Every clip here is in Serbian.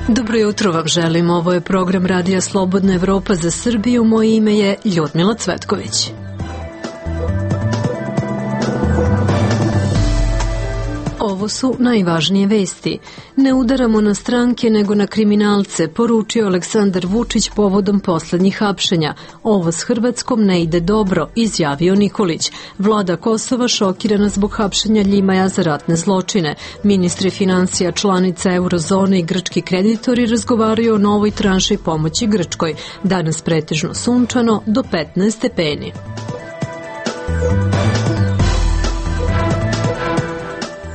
Dobro jutro vam želim, ovo je program Radija Slobodna Evropa za Srbiju, moje ime je Ljudmila Cvetković. Ovo su najvažnije vesti. Ne udaramo na stranke nego na kriminalce, poručio Aleksandar Vučić povodom poslednjih hapšenja. Ovo s Hrvatskom ne ide dobro, izjavio Nikolić. Vlada Kosova šokirana zbog hapšenja Ljimaja za ratne zločine. Ministri financija članica eurozone i grčki kreditori razgovaraju o novoj tranši pomoći Grčkoj. Danas pretežno sunčano do 15 stepeni.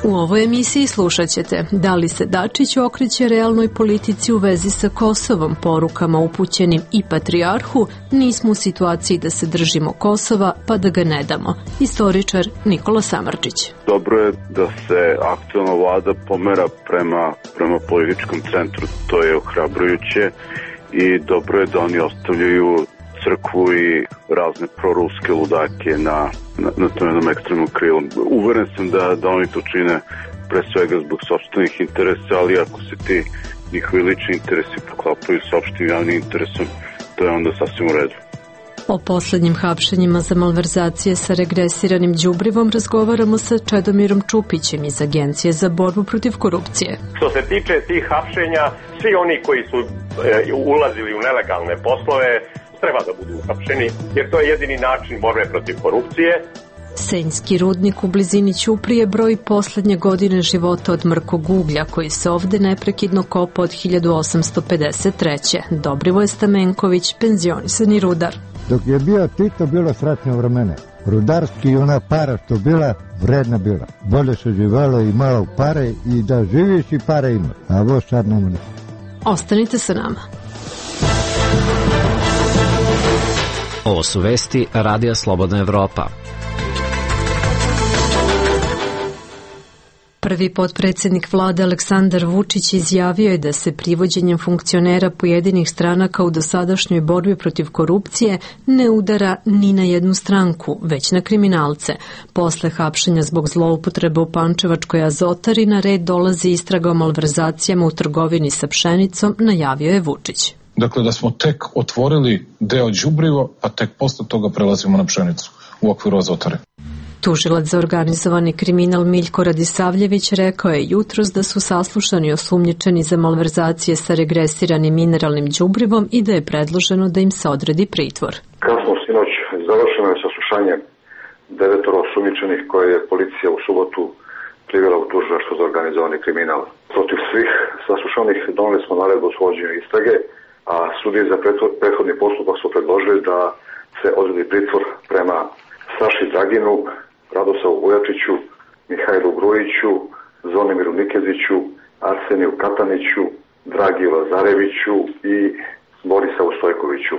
U ovoj emisiji slušat ćete da li se Dačić okreće realnoj politici u vezi sa Kosovom, porukama upućenim i patrijarhu, nismo u situaciji da se držimo Kosova pa da ga ne damo. Istoričar Nikola Samardžić. Dobro je da se aktualna vlada pomera prema političkom centru, to je ohrabrujuće i dobro je da oni ostavljaju crkvu i razne proruske ludake na tom jednom ekstremnom krilu. Uveren sam da oni to čine pre svega zbog sopstvenih interesa, ali ako se ti njihovi lični interesi poklapaju s opštim javnim interesom, to je onda sasvim u redu. O poslednjim hapšenjima za malverzacije sa regresiranim đubrivom razgovaramo sa Čedomirom Čupićem iz Agencije za borbu protiv korupcije. Što se tiče tih hapšenja, svi oni koji su ulazili u nelegalne poslove treba da budu uhapšeni, jer to je jedini način borbe protiv korupcije. Senjski rudnik u blizini Ćuprije broji poslednje godine života od mrkog uglja, koji se ovde neprekidno kopa od 1853. Dobrivoje Stamenković, penzionisani rudar. Dok je bio Tito, bilo sretno vremena. Rudarski i ona para što bila, vredna bila. Bolje se živalo i malo pare i da živiš i pare imaš. A ovo sad nema ništa. Ostanite sa nama. Ovo su vesti Radija Slobodna Evropa. Prvi potpredsednik vlade Aleksandar Vučić izjavio je da se privođenjem funkcionera pojedinih stranaka u dosadašnjoj borbi protiv korupcije ne udara ni na jednu stranku, već na kriminalce. Posle hapšenja zbog zloupotrebe u Pančevačkoj Azotari na red dolazi istraga o malverzacijama u trgovini sa pšenicom, najavio je Vučić. Dakle, da smo tek otvorili deo đubriva, a tek posle toga prelazimo na pšenicu u okviru Azotare. Tužilac za organizovani kriminal Miljko Radisavljević rekao je jutros da su saslušani osumnjičeni za malverzacije sa regresiranim mineralnim đubrivom i da je predloženo da im se odredi pritvor. Kasno sinoć završeno je saslušanje 9 osumnjičenih koje je policija u subotu privela u tužilaštvo za organizovani kriminal. Protiv svih saslušanih doneli smo naredbu o svođenju istrage, a sudije za prethodni postupak su predložili da se odredi pritvor prema Saši Draginu, Radosavu Vujačiću, Mihajlu Grujiću, Zvonimiru Nikeziću, Arseniju Kataniću, Dragiju Lazareviću i Borisavu Stojkoviću.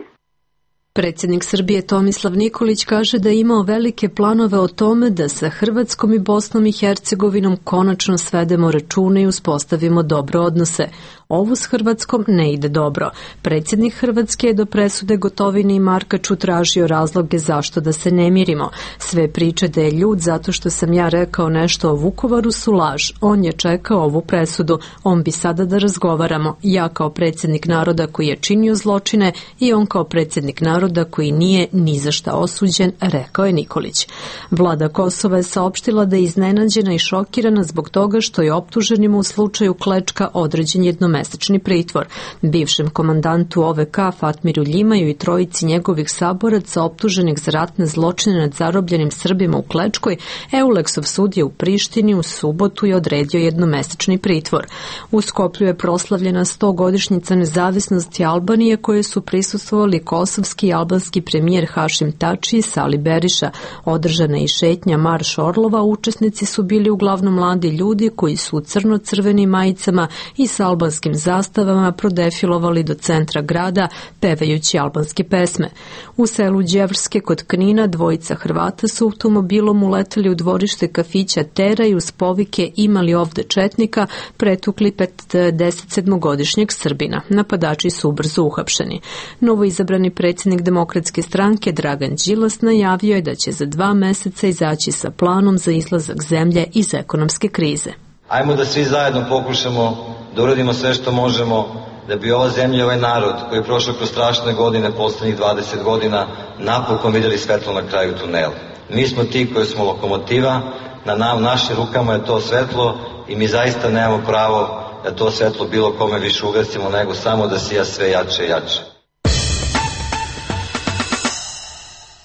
Predsjednik Srbije Tomislav Nikolić kaže da je imao velike planove o tome da sa Hrvatskom i Bosnom i Hercegovinom konačno svedemo račune i uspostavimo dobre odnose. Ovo s Hrvatskom ne ide dobro. Predsjednik Hrvatske je do presude Gotovine i Markaču tražio razloge zašto da se ne mirimo. Sve priče da je ljud zato što sam ja rekao nešto o Vukovaru su laž. On je čekao ovu presudu. On bi sada da razgovaramo. Ja kao predsjednik naroda koji je činio zločine i on kao predsjednik naroda koji nije ni za šta osuđen, rekao je Nikolić. Vlada Kosova je saopštila da je iznenađena i šokirana zbog toga što je optuženima u slučaju Klečka određen jednomesečni pritvor. Bivšem komandantu OVK Fatmiru Ljimaju i trojici njegovih saboraca optuženih za ratne zločine nad zarobljenim Srbima u Klečkoj, Euleksov sud je u Prištini u subotu je odredio jednomesečni pritvor. U Skoplju je proslavljena 100-godišnjica nezavisnosti Albanije koje su prisustvovali kosovski i albanski premijer Hašim Tači i Sali Beriša. Održana i šetnja Marš Orlova, učesnici su bili uglavnom mladi ljudi koji su u crno-crvenim majicama i s albanskim zastavama prodefilovali do centra grada pevajući albanske pesme. U selu Đevrske kod Knina dvojica Hrvata su automobilom uleteli u dvorište kafića Tera i uz povike "Imali ovde četnika" pretukli 57-godišnjeg Srbina. Napadači su ubrzo uhapšeni. Novoizabrani predsjednik Demokratske stranke Dragan Đilas najavio je da će za 2 meseca izaći sa planom za izlazak zemlje iz ekonomske krize. Ajmo da svi zajedno pokušamo da uradimo sve što možemo da bi ova zemlja i ovaj narod koji je prošao kroz strašne godine, poslednjih 20 godina, napokon vidjeli svetlo na kraju tunela. Mi smo ti koji smo lokomotiva, na našim rukama je to svetlo i mi zaista nemamo pravo da to svetlo bilo kome više ugasimo, nego samo da sija sve jače i jače.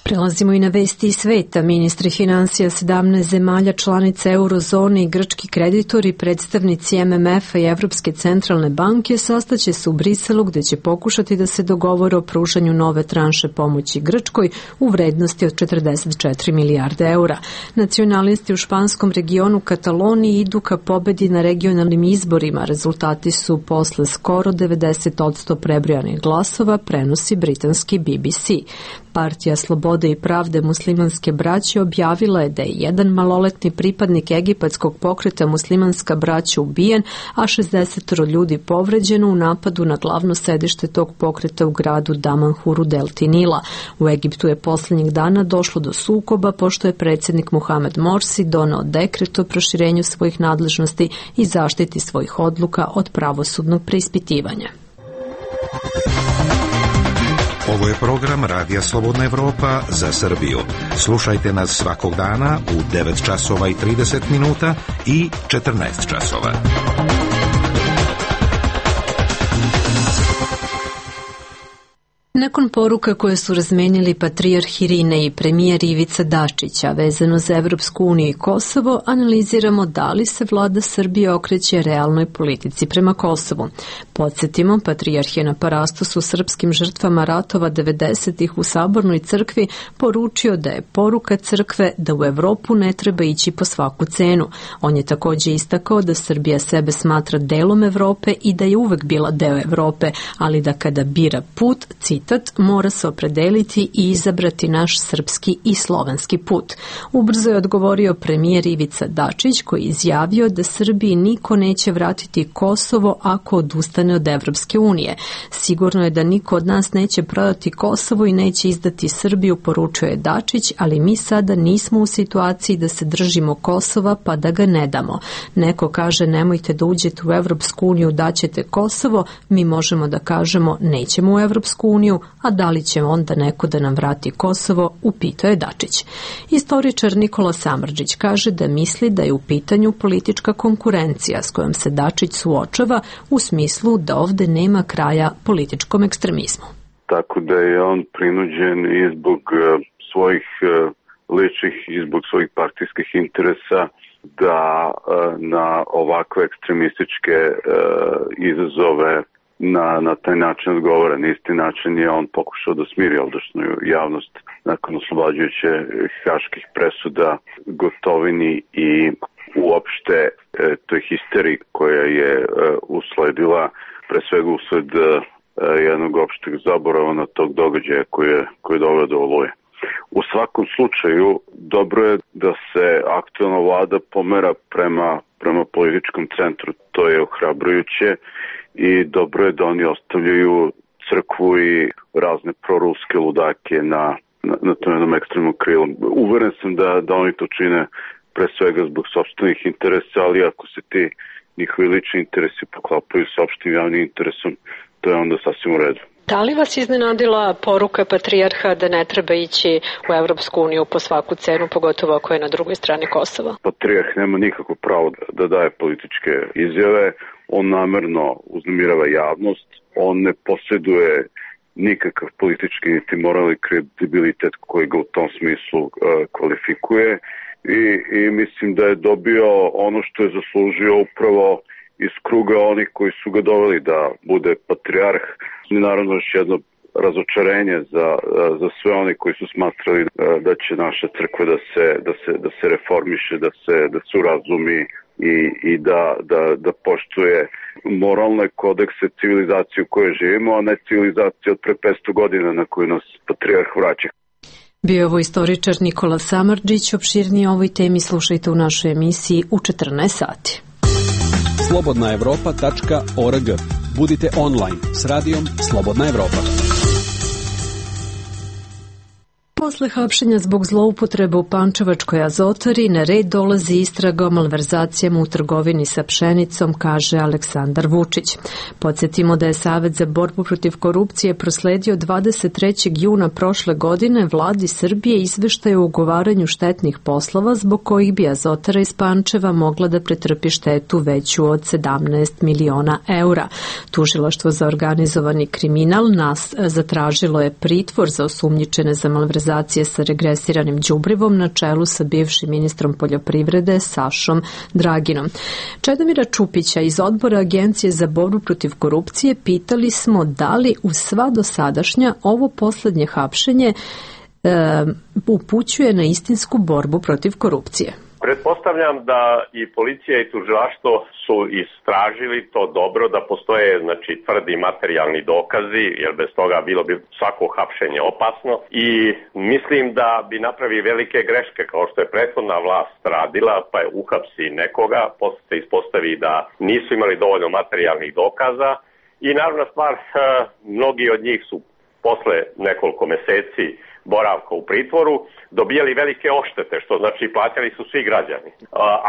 Prelazimo i na vesti iz sveta. Ministri financija 17 zemalja članica eurozone i grčki kreditori, predstavnici MMF-a i Evropske centralne banke sastaće se u Briselu gde će pokušati da se dogovore o pružanju nove tranše pomoći Grčkoj u vrednosti od 44 milijarde eura. Nacionalisti u španskom regionu Kataloniji idu ka pobedi na regionalnim izborima. Rezultati su posle skoro 90% prebrojanih glasova, prenosi britanski BBC. Partija Slobode i pravde muslimanske braće objavila je da je jedan maloletni pripadnik egipatskog pokreta Muslimanska braća ubijen, a 60 ljudi povređeno u napadu na glavno sedište tog pokreta u gradu Damanhuru delti Nila. U Egiptu je poslednjih dana došlo do sukoba pošto je predsjednik Mohamed Morsi doneo dekret o proširenju svojih nadležnosti i zaštiti svojih odluka od pravosudnog preispitivanja. Ovo je program Radija Slobodna Evropa za Srbiju. Slušajte nas svakog dana u 9 časova i 30 minuta i 14 časova. Nakon poruka koje su razmenili patrijarh Irine i premijer Ivica Dačića vezano za Evropsku uniju i Kosovo, analiziramo da li se vlada Srbije okreće realnoj politici prema Kosovu. Podsjetimo, patrijarh je na parastosu srpskim žrtvama ratova 90-ih u Sabornoj crkvi poručio da je poruka crkve da u Evropu ne treba ići po svaku cenu. On je također istakao da Srbija sebe smatra delom Evrope i da je uvek bila deo Evrope, ali da kada bira put, citat, mora se opredeliti i izabrati naš srpski i slovenski put. Ubrzo je odgovorio premijer Ivica Dačić koji je izjavio da Srbiji niko neće vratiti Kosovo ako odustane od Evropske unije. Sigurno je da niko od nas neće prodati Kosovo i neće izdati Srbiju, poručio je Dačić, ali mi sada nismo u situaciji da se držimo Kosova pa da ga ne damo. Neko kaže nemojte da uđete u Evropsku uniju, daćete Kosovo, mi možemo da kažemo nećemo u Evropsku uniju, a da li će onda neko da nam vrati Kosovo, upitao je Dačić. Istoričar Nikola Samardžić kaže da misli da je u pitanju politička konkurencija s kojom se Dačić suočava u smislu da ovde nema kraja političkom ekstremizmu. Tako da je on prinuđen i zbog svojih ličnih i zbog svojih partijskih interesa da na ovakve ekstremističke izazove na taj način odgovara. Na isti način je on pokušao da smiri ovdašnju javnost nakon oslobađajuće haških presuda Gotovini i uopšte toj histeriji koja je usledila pre svega usled jednog opšteg zaborava na tog događaja koji je doveo do Oluje. U svakom slučaju dobro je da se aktualna vlada pomera prema političkom centru. To je ohrabrujuće i dobro je da oni ostavljaju crkvu i razne proruske ludake na tom jednom ekstremnom krilu. Uveren sam da oni to čine pre svega zbog sopstvenih interesa, ali ako se ti njihovi lični interesi poklapaju s opštim javnim interesom, to je onda sasvim u redu. Da li vas iznenadila poruka patrijarha da ne treba ići u Evropsku uniju po svaku cenu, pogotovo ako je na drugoj strani Kosova? Patrijarh nema nikakvo pravo da daje političke izjave, on namerno uznemirava javnost, on ne posjeduje nikakav politički niti moralni kredibilitet koji ga u tom smislu kvalifikuje i mislim da je dobio ono što je zaslužio upravo iz kruga onih koji su ga doveli da bude patrijarh. I naravno još jedno razočarenje za sve oni koji su smatrali da će naša crkva da se reformiše, da se urazumi i da poštuje moralne kodekse civilizacije u kojoj živimo, a ne civilizacije od pre 500 godina na koju nas patrijarh vraća. Bio je ovo istoričar Nikola Samardžić. Opširnije o ovoj temi slušajte u našoj emisiji u 14 sati. slobodnaevropa.org. Budite online s radijom Slobodna Evropa. Posle hapšenja zbog zloupotrebe u Pančevačkoj azotari na red dolazi istraga o malverzacijama u trgovini sa pšenicom, kaže Aleksandar Vučić. Podsjetimo da je Savet za borbu protiv korupcije prosledio 23. juna prošle godine vladi Srbije izveštaj o ugovaranju štetnih poslova zbog kojih bi azotara iz Pančeva mogla da pretrpi štetu veću od 17 miliona eura. Tužilaštvo za organizovani kriminal zatražilo je pritvor za osumnjičene za malverzacije sa regresiranim đubrivom na čelu sa bivšim ministrom poljoprivrede Sašom Draginom. Čedomira Čupića iz odbora Agencije za borbu protiv korupcije pitali smo da li u sva dosadašnja ovo poslednje hapšenje upućuje na istinsku borbu protiv korupcije. Pretpostavljam da i policija i tužilaštvo su istražili to dobro, da postoje tvrdi materijalni dokazi, jer bez toga bilo bi svako hapšenje opasno, i mislim da bi napravi velike greške kao što je prethodna vlast radila, pa je uhapsi nekoga, posle se ispostavi da nisu imali dovoljno materijalnih dokaza i naravna stvar, mnogi od njih su posle nekoliko meseci boravka u pritvoru dobijali velike oštete, što znači plaćali su svi građani.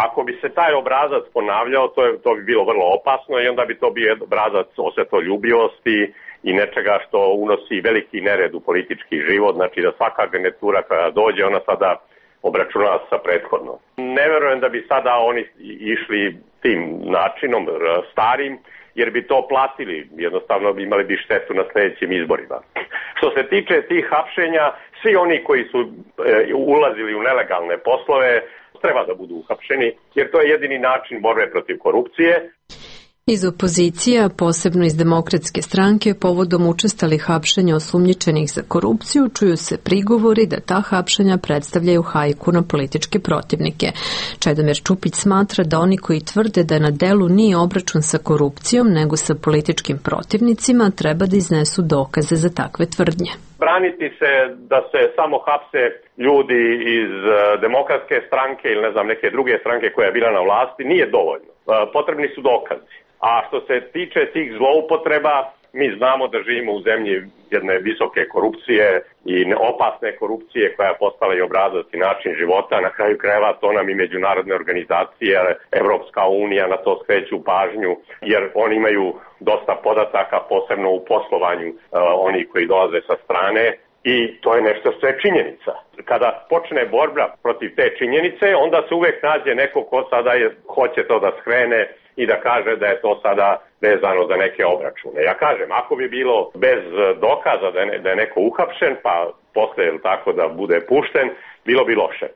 Ako bi se taj obrazac ponavljao, to bi bilo vrlo opasno i onda bi to bio obrazac osvetoljubivosti i nečega što unosi veliki nered u politički život, znači da svaka garnitura koja dođe, ona sada obračunava sa prethodnom. Ne verujem da bi sada oni išli tim načinom starim, jer bi to platili, jednostavno imali bi štetu na sljedećim izborima. Što se tiče tih hapšenja, svi oni koji su ulazili u nelegalne poslove treba da budu uhapšeni, jer to je jedini način borbe protiv korupcije. Iz opozicija, posebno iz Demokratske stranke, povodom učestalih hapšenja osumnjičenih za korupciju, čuju se prigovori da ta hapšenja predstavljaju hajku na političke protivnike. Čedomir Čupić smatra da oni koji tvrde da na delu nije obračun sa korupcijom, nego sa političkim protivnicima, treba da iznesu dokaze za takve tvrdnje. Braniti se da se samo hapse ljudi iz Demokratske stranke ili neke druge stranke koja je bila na vlasti nije dovoljno. Potrebni su dokazi. A što se tiče tih zloupotreba, mi znamo da živimo u zemlji jedne visoke korupcije i opasne korupcije koja je postala i obrazac i način života. Na kraju krajeva to nam i međunarodne organizacije, Evropska unija na to skreću pažnju, jer oni imaju dosta podataka, posebno u poslovanju oni koji dolaze sa strane. I to je nešto što je činjenica. Kada počne borba protiv te činjenice, onda se uvek nađe neko ko sada hoće to da skrene i da kaže da je to sada vezano za neke obračune. Ja kažem, ako bi bilo bez dokaza da je neko uhapšen, pa posle tako da bude pušten, bilo bi loše.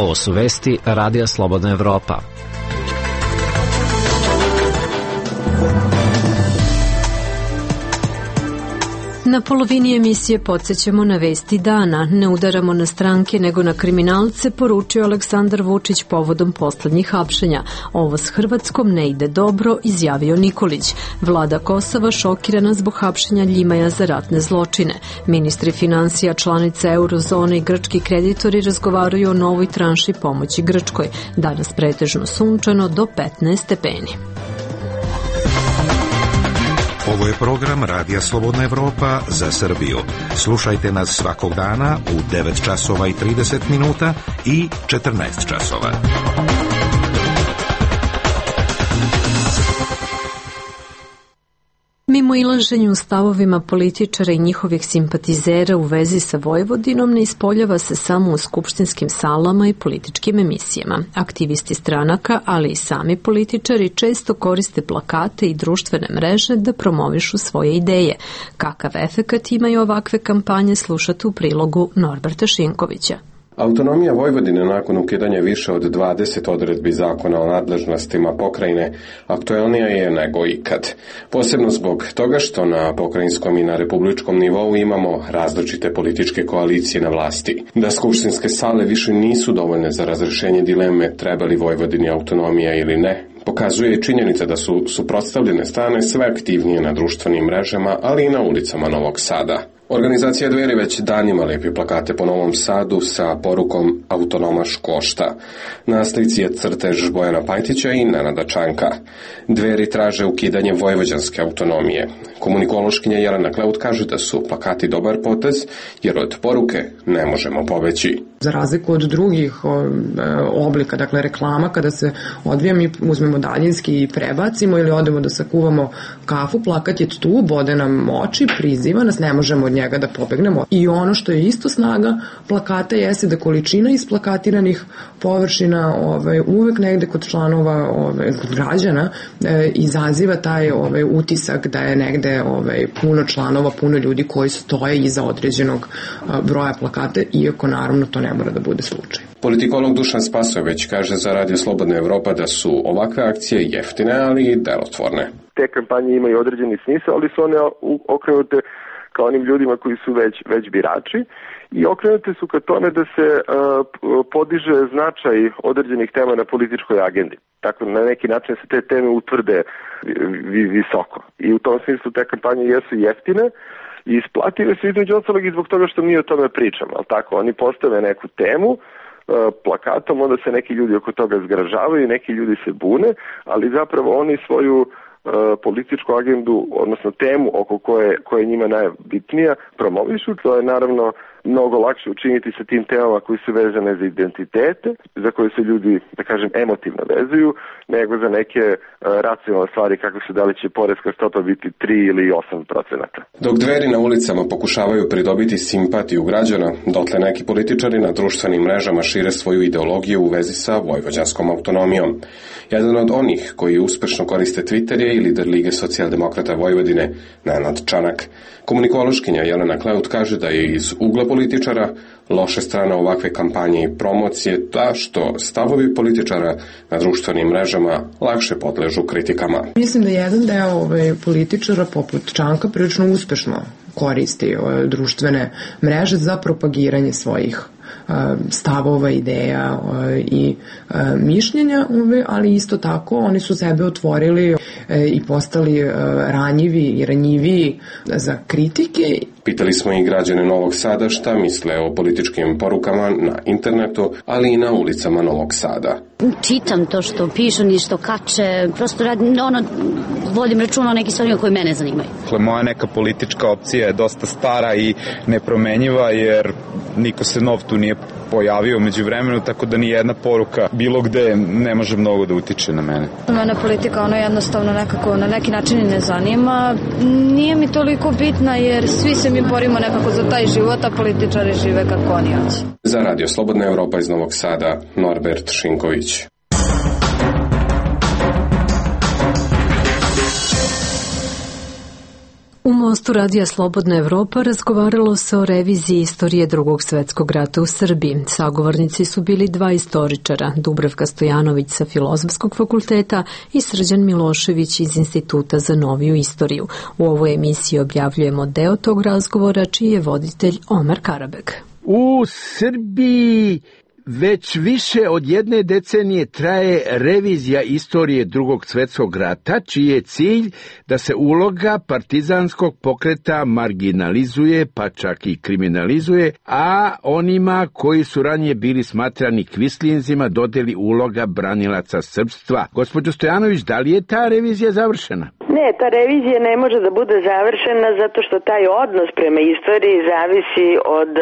Ovo su vesti Radija Slobodna Evropa. Na polovini emisije podsjećamo na vesti dana. Ne udaramo na stranke nego na kriminalce, poručio Aleksandar Vučić povodom poslednjih hapšenja. Ovo s Hrvatskom ne ide dobro, izjavio Nikolić. Vlada Kosova šokirana zbog hapšenja Ljimaja za ratne zločine. Ministri finansija, članice eurozone i grčki kreditori razgovaraju o novoj tranši pomoći Grčkoj. Danas pretežno sunčano do 15 stepeni. Ovo je program Radija Slobodna Evropa za Srbiju. Slušajte nas svakog dana u 9 časova i 30 minuta i 14 časova. Mimo ilaženju u stavovima političara i njihovih simpatizera u vezi sa Vojvodinom ne ispoljava se samo u skupštinskim salama i političkim emisijama. Aktivisti stranaka, ali i sami političari često koriste plakate i društvene mreže da promovišu svoje ideje. Kakav efekat imaju ovakve kampanje, slušate u prilogu Norberta Šinkovića. Autonomija Vojvodine nakon ukidanja više od 20 odredbi zakona o nadležnostima pokrajine aktuelnija je nego ikad. Posebno zbog toga što na pokrajinskom i na republičkom nivou imamo različite političke koalicije na vlasti. Da skupštinske sale više nisu dovoljne za razrešenje dileme treba li Vojvodini autonomija ili ne, pokazuje i činjenica da su suprotstavljene strane sve aktivnije na društvenim mrežama, ali i na ulicama Novog Sada. Organizacija Dveri već danima lepi plakate po Novom Sadu sa porukom Autonomaš košta. Na slici je crtež Bojana Pajtića i Nenada Čanka. Dveri traže ukidanje vojvođanske autonomije. Komunikološkinja Jelena Kleut kaže da su plakati dobar potez, jer od poruke ne možemo pobeći. Za razliku od drugih oblika, dakle reklama, kada se odvija, mi uzmemo daljinski i prebacimo ili odemo da sakuvamo kafu, plakat je tu, bode nam oči, priziva nas, ne možemo od njega da pobegnemo. I ono što je isto snaga plakata jeste da količina isplakatiranih površina uvek negde kod članova građana izaziva taj utisak da je negde puno članova, puno ljudi koji stoje iza određenog broja plakata, iako naravno to ne mora da bude slučaj. Politikolog Dušan Spasojević kaže za Radio Slobodna Evropa da su ovakve akcije jeftine, ali i delotvorne. Te kampanje imaju određeni smisao, ali su one okrenute ka onim ljudima koji su već birači i okrenute su ka tome da se podiže značaj određenih tema na političkoj agendi. Tako na neki način se te teme utvrde visoko. I u tom smislu te kampanje jesu jeftine i isplative su između ostalog i zbog toga što mi o tome pričamo. Ali tako, oni postave neku temu plakatom, onda se neki ljudi oko toga zgražavaju, neki ljudi se bune, ali zapravo oni svoju političku agendu, odnosno temu oko koje je njima najbitnija, promovišu. To je naravno mnogo lakše učiniti sa tim temama koji su vezane za identitete, za koje se ljudi, da kažem, emotivno vezuju, nego za neke racionalne stvari kako se da li će poreska stopa biti 3 ili 8%. Dok Dveri na ulicama pokušavaju pridobiti simpatiju građana, dotle neki političari na društvenim mrežama šire svoju ideologiju u vezi sa vojvođanskom autonomijom. Jedan od onih koji uspešno koriste Twitter je i lider Lige socijaldemokrata Vojvodine, Nenad Čanak. Komunikološkinja Jelena Kleut kaže da je iz ugla političara loša strana ovakve kampanje i promocije ta što stavovi političara na društvenim mrežama lakše podležu kritikama. Mislim da jedan deo političara poput Čanka prilično uspešno koristi društvene mreže za propagiranje svojih stavova, ideja i mišljenja, ali isto tako oni su sebe otvorili i postali ranjivi i ranjiviji za kritike. Pitali smo i građane Novog Sada šta misle o političkim porukama na internetu, ali i na ulicama Novog Sada. Čitam to što pišu i što kače, prosto vodim računa o nekim stvarima koje mene zanimaju. Moja neka politička opcija je dosta stara i nepromenjiva, jer niko se nov tu nije pojavio među vremenu, tako da ni jedna poruka bilo gde ne može mnogo da utiče na mene. Mene politika jednostavno nekako na neki način i ne zanima. Nije mi toliko bitna jer svi se mi borimo nekako za taj život, a političari žive kako oni hoće. Za Radio Slobodna Evropa iz Novog Sada, Norbert Šinković. U mostu Radija Slobodna Evropa razgovaralo se o reviziji istorije Drugog svetskog rata u Srbiji. Sagovornici su bili dva istoričara, Dubravka Stojanović sa Filozofskog fakulteta i Srđan Milošević iz Instituta za noviju istoriju. U ovoj emisiji objavljujemo deo tog razgovora, čiji je voditelj Omar Karabek. U Srbiji već više od jedne decenije traje revizija istorije Drugog svetskog rata, čiji je cilj da se uloga partizanskog pokreta marginalizuje, pa čak i kriminalizuje, a onima koji su ranije bili smatrani kvislinzima dodeli uloga branilaca srpstva. Gospođo Stojanović, da li je ta revizija završena? Ne, ta revizija ne može da bude završena zato što taj odnos prema istoriji zavisi od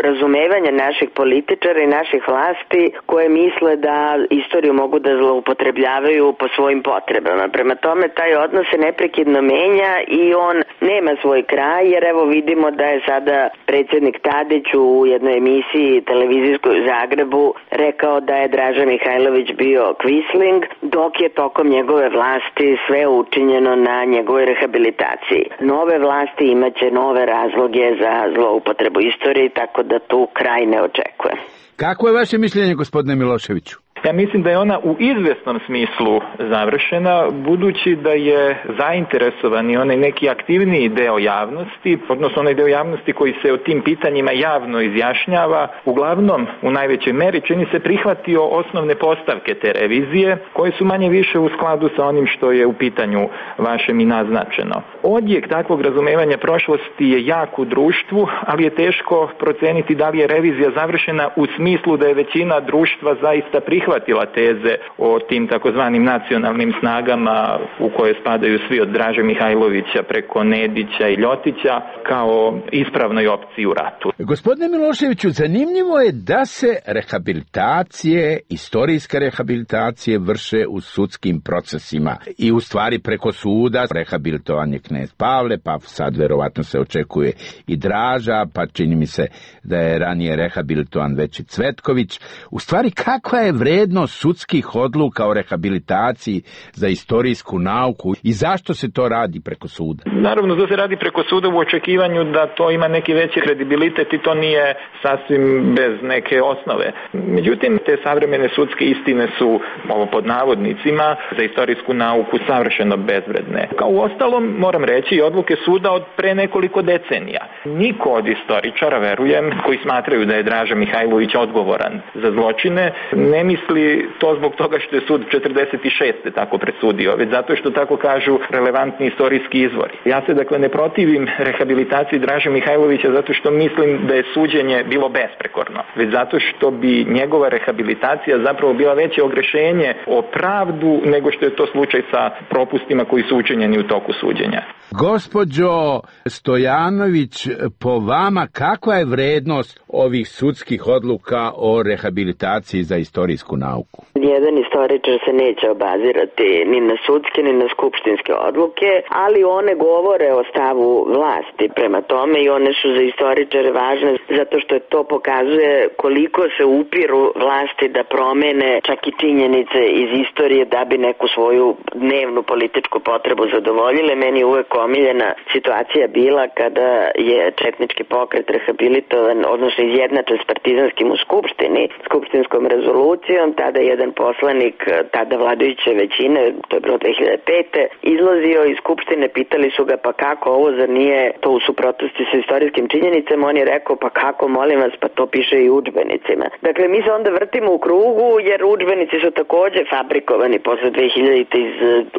razumevanja naših političara i naših vlasti koje misle da istoriju mogu da zloupotrebljavaju po svojim potrebama. Prema tome, taj odnos se neprekidno menja i on nema svoj kraj, jer evo vidimo da je sada predsjednik Tadić u jednoj emisiji televizijskoj u Zagrebu rekao da je Draža Mihajlović bio kvisling, dok je tokom njegove vlasti sve učinjeno na njegovoj rehabilitaciji. Nove vlasti imaće nove razloge za zloupotrebu istorije, tako da tu kraj ne očekuje. Kako je vaše mišljenje, gospodine Miloševiću? Ja mislim da je ona u izvesnom smislu završena, budući da je zainteresovan i onaj neki aktivniji deo javnosti, odnosno onaj deo javnosti koji se o tim pitanjima javno izjašnjava, uglavnom u najvećoj meri čini se prihvatio osnovne postavke te revizije, koje su manje više u skladu sa onim što je u pitanju vašem i naznačeno. Odjek takvog razumevanja prošlosti je jak u društvu, ali je teško proceniti da li je revizija završena u smislu da je većina društva zaista prihvatila teze o tim takozvanim nacionalnim snagama u koje spadaju svi od Draže Mihajlovića preko Nedića i Ljotića kao ispravnoj opciji u ratu. Gospodine Miloševiću, zanimljivo je da se rehabilitacije, istorijske rehabilitacije vrše u sudskim procesima i u stvari preko suda. Rehabilitovan je knez Pavle, pa sad verovatno se očekuje i Draža, pa čini mi se da je ranije rehabilitovan već i Cvetković. U stvari, kakva je vrednost sudskih odluka o rehabilitaciji za istorijsku nauku i zašto se to radi preko suda? Naravno, to se radi preko suda u očekivanju da to ima neki veći kredibilitet i to nije sasvim bez neke osnove. Međutim, te savremene sudske istine su, ovo pod navodnicima, za istorijsku nauku savršeno bezvredne. Kao u ostalom, moram reći, i odluke suda od pre nekoliko decenija. Niko od istoričara, verujem, koji smatraju da je Draža Mihajlović odgovoran za zločine, ne misli to zbog toga što je sud 46. tako presudio, već zato što tako kažu relevantni istorijski izvori. Ja se dakle ne protivim rehabilitaciji Draže Mihajlovića zato što mislim da je suđenje bilo besprekorno, već zato što bi njegova rehabilitacija zapravo bila veće ogrešenje o pravdu nego što je to slučaj sa propustima koji su učinjeni u toku suđenja. Gospođo Stojanović, po vama kakva je vrednost ovih sudskih odluka o rehabilitaciji za istorijsku nauku? Jedan istoričar se neće obazirati ni na sudske ni na skupštinske odluke, ali one govore o stavu vlasti prema tome i one su za istoričare važne zato što to pokazuje koliko se upiru vlasti da promene čak i činjenice iz istorije da bi neku svoju dnevnu političku potrebu zadovoljile. Meni je uvek omiljena situacija bila kada je četnički pokret rehabilitovan, odnosno izjednačen s partizanskim u skupštini, skupštinskom rezolucijom, tada jedan poslanik tada vladajuće većine, to je bilo 2005. izlazio iz skupštine, pitali su ga pa kako ovo, zar nije to u suprotnosti sa istorijskim činjenicama, on je rekao pa kako, molim vas, pa to piše i u udžbenicima. Dakle, mi se onda vrtimo u krugu jer udžbenici su takođe fabrikovani posle 2000. iz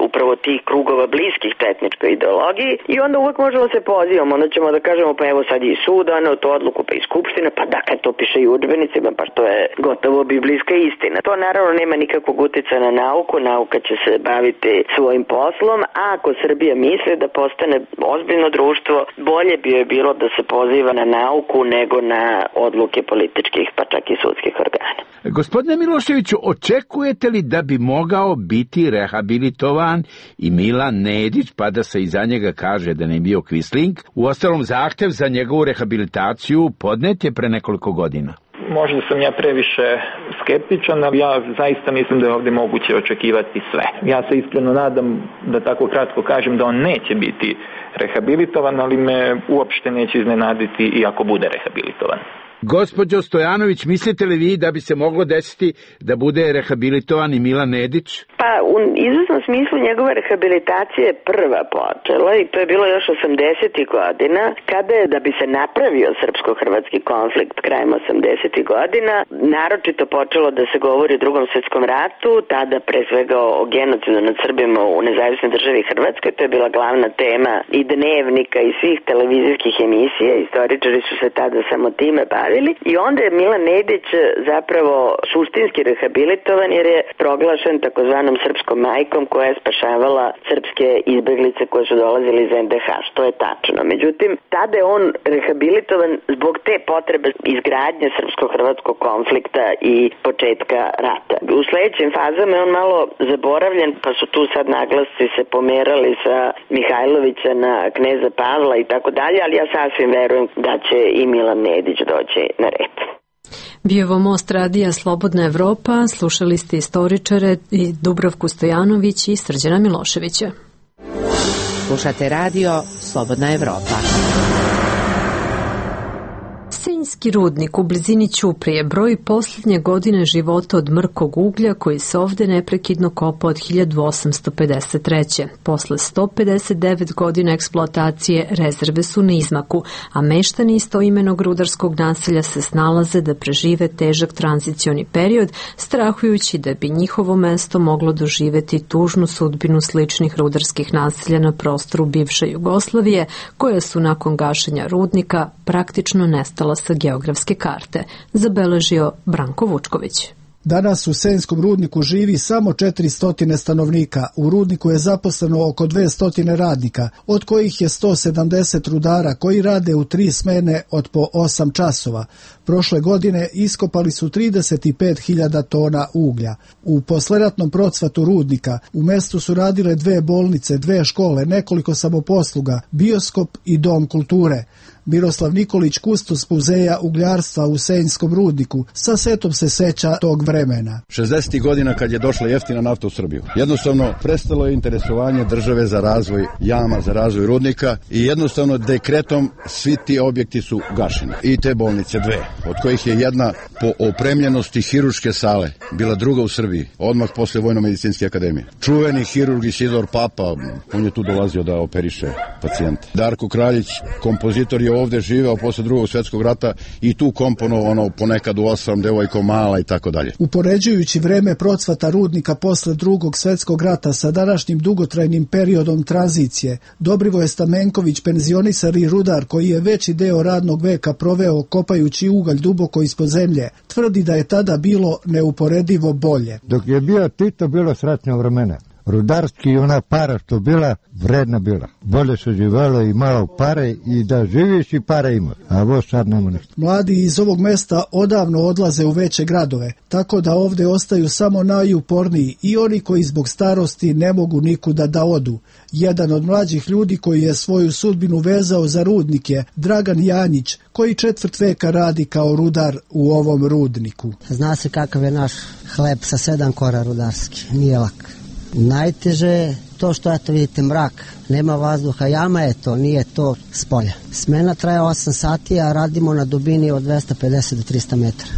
upravo tih krugova bliskih četničkoj ideologiji i onda uvek možemo se pozivamo, onda ćemo da kažemo pa evo sad je i sud doneo tu odluku pa i skupština, pa dakle to piše i u udžbenicima, pa što je gotovo biblijska istina. To naravno nema nikakvog uticaja na nauku, nauka će se baviti svojim poslom, a ako Srbija misli da postane ozbiljno društvo, bolje bi joj bilo da se poziva na nauku nego na odluke političkih pa čak i sudskih organa. Gospodine Miloševiću, očekujete li da bi mogao biti rehabilitovan i Milan Nedić, pa da se iza njega kaže da ne bio Quisling? Uostalom, zahtev za njegovu rehabilitaciju podnet je pre nekoliko godina. Možda sam ja previše skeptičan, ali ja zaista mislim da je ovdje moguće očekivati sve. Ja se iskreno nadam, da tako kratko kažem, da on neće biti rehabilitovan, ali me uopšte neće iznenaditi i ako bude rehabilitovan. Gospođo Stojanović, mislite li vi da bi se moglo desiti da bude rehabilitovan i Milan Nedić? Pa u izvesnom smislu njegova rehabilitacija je prva počela i to je bilo još 80. godina, kada je da bi se napravio srpsko-hrvatski konflikt krajem 80. godina, naročito počelo da se govori o Drugom svetskom ratu, tada pre svega o genocidu nad Srbima u nezavisnoj državi Hrvatskoj, to je bila glavna tema i dnevnika i svih televizijskih emisija, istoričari su se tada samo time bavili i onda je Milan Nedić zapravo suštinski rehabilitovan jer je proglašen takozvanom srpskom majkom koja je spašavala srpske izbeglice koje su dolazili iz NDH, što je tačno. Međutim, tada je on rehabilitovan zbog te potrebe izgradnje srpsko-hrvatskog konflikta i početka rata. U sledećim fazama je on malo zaboravljen, pa su tu sad naglasci se pomerali sa Mihajlovića na kneza Pavla i tako dalje, ali ja sasvim verujem da će i Milan Nedić doći na red. Bio ovo Most radija Slobodna Evropa, slušali ste istoričare i Dubravku Stojanović i Srđana Miloševića. Slušate radio Slobodna Evropa. Senjski rudnik u blizini Ćuprije broji posljednje godine života od mrkog uglja koji se ovde neprekidno kopa od 1853. Posle 159 godina eksploatacije rezerve su na izmaku, a meštani istoimenog rudarskog naselja se snalaze da prežive težak tranzicioni period, strahujući da bi njihovo mesto moglo doživeti tužnu sudbinu sličnih rudarskih naselja na prostoru bivše Jugoslavije, koja su nakon gašenja rudnika praktično nestala sa geografske karte, zabeležio Branko Vučković. Danas u Senjskom rudniku živi samo 400 stanovnika. U rudniku je zaposleno oko 200 radnika, od kojih je 170 rudara koji rade u 3 smene od po 8 časova. Prošle godine iskopali su 35.000 tona uglja. U posleratnom procvatu rudnika u mestu su radile 2 bolnice, 2 škole, nekoliko samoposluga, bioskop i dom kulture. Miroslav Nikolić, kustos muzeja ugljarstva u Senjskom rudniku, sa setom se seća tog vremena. 60. godina kad je došla jeftina nafta u Srbiju. Jednostavno prestalo je interesovanje države za razvoj jama, za razvoj rudnika i jednostavno dekretom svi ti objekti su gašeni. I te bolnice 2, od kojih je jedna po opremljenosti hirurške sale bila druga u Srbiji, odmah posle Vojno-medicinske akademije. Čuveni hirurg Isidor Papa, on je tu dolazio da operiše pacijente. Darko Kraljić, kompozitor, je ovde živeo posle Drugog svjetskog rata i tu komponovano ponekad u 8 devojko mala i tako dalje. Upoređujući vreme procvata rudnika posle Drugog svjetskog rata sa današnjim dugotrajnim periodom tranzicije, Dobrivoje Stamenković, penzionisani rudar koji je veći deo radnog veka proveo kopajući ugalj duboko ispod zemlje, tvrdi da je tada bilo neuporedivo bolje. Dok je bio Tito, bilo sretno vremena. Rudarski i ona para što bila, vredna bila. Bolje se živelo i malo pare i da živiš i pare imaš, a ovo sad nema ništa. Mladi iz ovog mesta odavno odlaze u veće gradove, tako da ovde ostaju samo najuporniji i oni koji zbog starosti ne mogu nikuda da odu. Jedan od mlađih ljudi koji je svoju sudbinu vezao za rudnik je Dragan Janjić, koji 4 veka radi kao rudar u ovom rudniku. Zna se kakav je naš hleb sa 7 kora rudarski, nije lak. Najteže je to što, eto vidite, mrak, nema vazduha, jama je to, nije to s polja. Smena traje 8 sati, a radimo na dubini od 250 do 300 metara.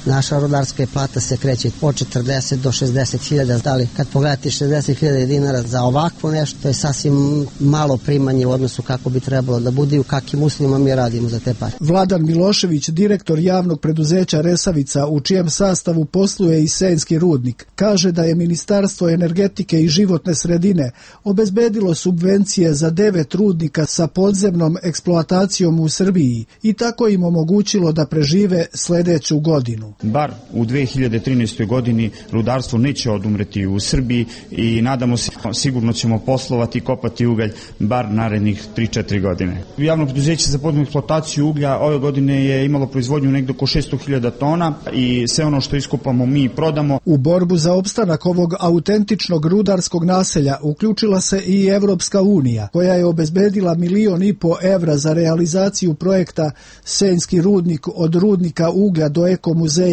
Naša rudarska plata se kreće od 40 do 60.000, ali kad pogledate 60.000 dinara za ovakvo nešto, to je sasvim malo primanje u odnosu kako bi trebalo da bude i u kakvim uslovima mi radimo za te pare. Vladan Milošević, direktor javnog preduzeća Resavica, u čijem sastavu posluje i Senjski rudnik, kaže da je Ministarstvo energetike i životne sredine obezbedilo subvencije za 9 rudnika sa podzemnom eksploatacijom u Srbiji i tako im omogućilo da prežive sledeću godinu. Bar u 2013. godini rudarstvo neće odumreti u Srbiji i nadamo se sigurno ćemo poslovati i kopati ugalj bar narednih 3-4 godine. Javno preduzeće za podzemnu eksploataciju uglja ove godine je imalo proizvodnju negde oko 600.000 tona i sve ono što iskopamo mi prodamo. U borbu za opstanak ovog autentičnog rudarskog naselja uključila se i Evropska unija, koja je obezbedila 1,5 miliona evra za realizaciju projekta Senjski rudnik od rudnika uglja do ekomuzeja,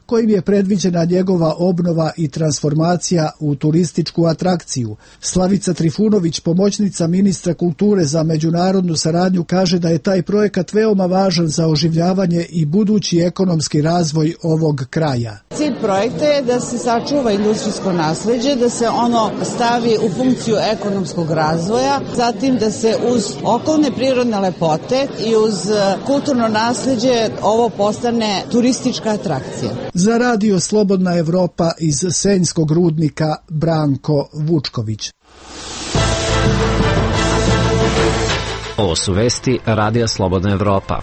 kojim je predviđena njegova obnova i transformacija u turističku atrakciju. Slavica Trifunović, pomoćnica ministra kulture za međunarodnu saradnju, kaže da je taj projekat veoma važan za oživljavanje i budući ekonomski razvoj ovog kraja. Cilj projekta je da se sačuva industrijsko nasleđe, da se ono stavi u funkciju ekonomskog razvoja, zatim da se uz okolne prirodne lepote i uz kulturno nasleđe ovo postane turistička atrakcija. Za radio Slobodna Evropa iz Senjskog rudnika, Branko Vučković. Ovo su vesti Radija Slobodna Evropa.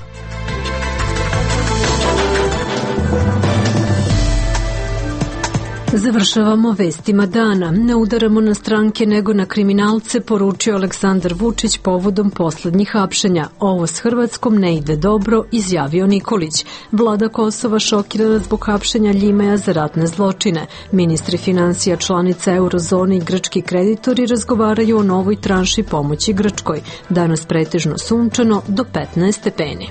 Završavamo vestima dana. Ne udaramo na stranke nego na kriminalce, poručio Aleksandar Vučić povodom poslednjih hapšenja. Ovo s Hrvatskom ne ide dobro, izjavio Nikolić. Vlada Kosova šokirana zbog hapšenja Ljimeja za ratne zločine. Ministri financija članica eurozone i grčki kreditori razgovaraju o novoj tranši pomoći Grčkoj. Danas pretežno sunčano do 15 stepeni.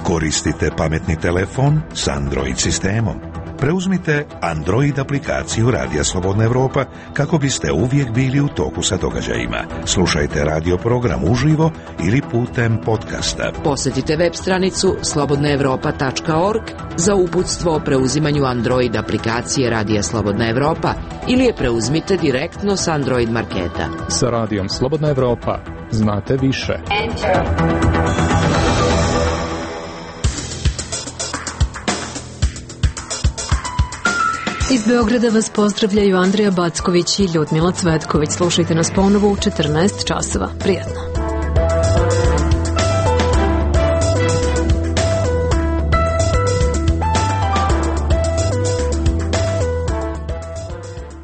Koristite pametni telefon s Android sistemom. Preuzmite Android aplikaciju Radija Slobodna Evropa kako biste uvijek bili u toku sa događajima. Slušajte radio program uživo ili putem podcasta. Posjetite web stranicu slobodnaevropa.org za uputstvo o preuzimanju Android aplikacije Radija Slobodna Evropa ili je preuzmite direktno s Android marketa. Sa Radijom Slobodna Evropa znate više. Iz Beograda vas pozdravljaju Andrija Backović i Ljudmila Cvetković. Slušajte nas ponovo u 14 časova. Prijatno.